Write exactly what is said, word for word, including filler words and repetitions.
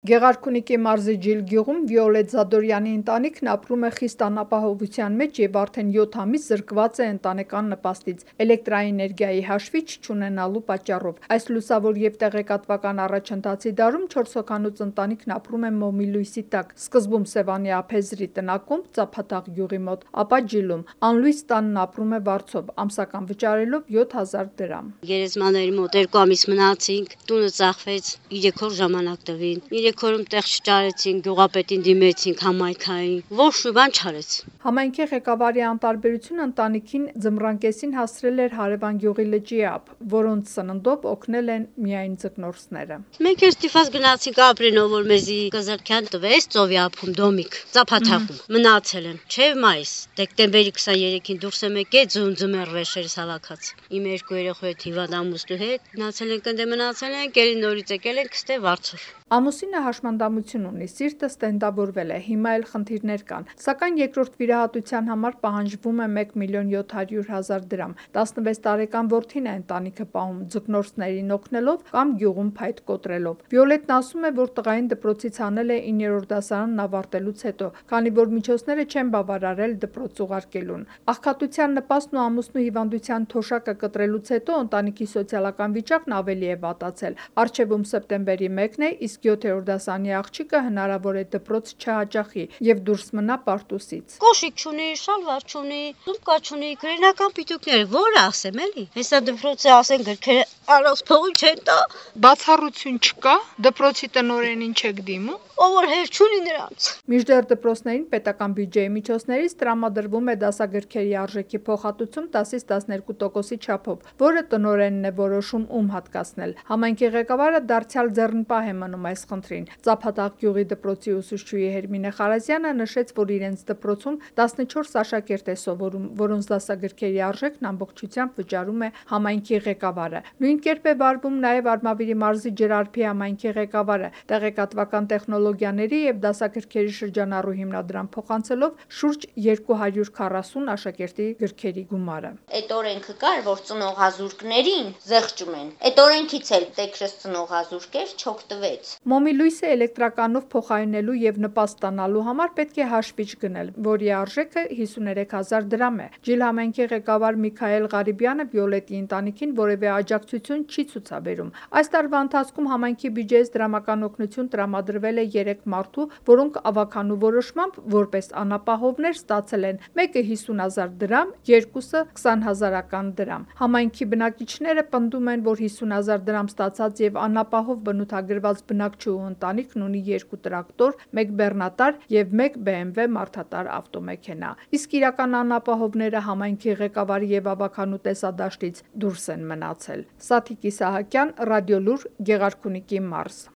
Գեղարքունիքի մարզի Ջիլ գյուղում Վիոլետ Զադորյանի ընտանիքն ապրում է խիստ անապահովության մեջ և արդեն յոթ ամիս զրկված է ընտանեկան նպաստից՝ էլեկտրաէներգիայի հաշվիչ չունենալու պատճառով։ Այս լուսավոր և տեղեկատվական առաջընթացի դարում չորս հոգանոց ընտանիքն ապրում է մոմի լույսի տակ՝ սկզբում Սևանի ափեզրի տնակում Ծափաթաղ գյուղի մոտ, ապա Ջիլում։ Անլույս տանն ապրում է վարձով՝ ամսական վճարելով յոթ հազար դրամ։ Գերեզմաների մոտ երկու ամիս մնացինք, տունը ծախվեց, երեք օր ժամանակ տվին։ Երեք օրում տեղ չճարեցինք, գյուղապետին դիմեցինք, համայնքային, ոչ մի բան չարեց։ Համայնքի ղեկավարի անտարբերությունը ընտանիքին ձմռան կեսին հասցրել էր հարևան գյուղի լճի ափ, որոնց սննդով օգնել են միայն ձկնորսները։ Մենք էլ ստիպված գնացինք ապրենով, որ մեզի կզրքյան տվեց ծովի ափում դոմիկ, Ծափաթաղում։ Մնացել եմ, չէ մայիս, դեկտեմբերի քսաներեքին դուրս եմ եկել ձուն ձմեռ վերջերս հավաքած։ Իմ երկու երեխու հետ հիվանդ ամուսնու հետ մնացել ենք, ընդ մնացել ենք, ելի նորից եկել ենք ստե վարձով։ Ամուսինը հաշմանդամություն ունի, սիրտը ստենդավորվել է, հիմա էլ խնդիրներ կան, սակայն երկրորդ վիրահատության համար պահանջվում է մեկ միլիոն յոթ հարյուր հազար դրամ։ տասնվեց տարեկան որդին է ընտանիքը պահում, ձկնորսներին օգնելով կամ գյուղում փայտ կոտրելով։ Վիոլետն ասում է, որ տղային դպրոցից հանել է իններորդ դասարանն ավարտելուց հետո, քանի որ միջոցները չեն բավարարել դպրոց ուղարկելուն։ Աղքատության նպաստն ու ամուսնու հիվանդության թոշակը կտրելուց հետո ընտանիքի սոցիալական վիճակն ավելի է վատացել։ Առջևում սեպտեմբերի մեկն է, իսկ յոթերորդ դասարանի աղջիկը հնարավոր է դպրոց չհաճախի և դուրս մնա պարտուսից։ Կոշիկ չունի, շալվար չունի, սումկա չունի, գրենական պիտուկները, որ ասեմ էլի։ Հեսա դպրոցը ասեն գրքերը առանց փողի չեն տա։ Բացառություն չկա, դպրոցի տնօրենին չեք դիմում։ Ով որ հեր չունի նրանց։ Մինչդեռ դպրոցներին պետական բյուջեի միջոցներից տրամադրվում է դասագրքերի արժեքի փոխհատուցում տասից տասներկու տոկոսի չափով, որը տնօրենն է որոշում ում հատկացնել։ Համայնքի ղեկավարը դարձյալ ձեռնպահ է մնում այս խնդրին։ Ծափաթաղ գյուղի դպրոցի ուսուցչուհի Հերմինե Խարազյանը նշեց, որ իրենց դպրոցում տասնչորս աշակերտ է սովորում, որոնց դասագրքերի արժեքն ամբողջությամբ վճարում է համայնքի ղեկավարը։ Նույն կերպ է վարվում նաև Արմավիրի մարզի Ջրարփի համայնքի ղեկավարը, տեղեկատվական տեխնոլոգիաների և դասագրքերի շրջանառու հիմնադրամ փոխանցելով շուրջ երկու հարյուր քառասուն աշակերտի գրքերի գումարը։ Այդ օրենքը կար, որ ծնողազուրկներին զեղչում են։ Այդ օրենքից էլ տեքրս ծնողազուրկ էր, չօգտվեց։ Մոմի լույսը էլեկտրականով փոխարինելու և նպաստ ստանալու համար պետք է հաշվիչ գնել, որի արժեքը հիսուներեք հազար դրամ է։ Ջիլ համայնքի ղեկավար Միքայել Ղարիբյանը Վիոլետի ընտանիքին որևէ աջակցություն չի ցուցաբերում։ Այս տարվա ընթացքում համայնքի բյուջեից դրամական օգնություն տրամադրվել է երեք մարդու, որոնք ավագանու որոշմամբ որպես անապահովներ ստացել են մեկը հիսուն հազար դրամ, երկուսը քսան հազարական դրամ։ Համայնքի բնակիչները պնդում են, որ հիսուն հազար դրամ ստացած և անապահով բնութագրված բնակչուհու ընտանիքն ունի երկու տրակտոր, մեկ բեռնատար և մեկ բե էմ վե մարդատար ավտոմեքենա, իսկ իրական անապահովները համայնքի ղեկավարի և ավագանու տեսադաշտից դուրս են մնացել։ Սաթիկ Իսահակյան, Ռադիոլուր, Գեղարքունիքի մարզ։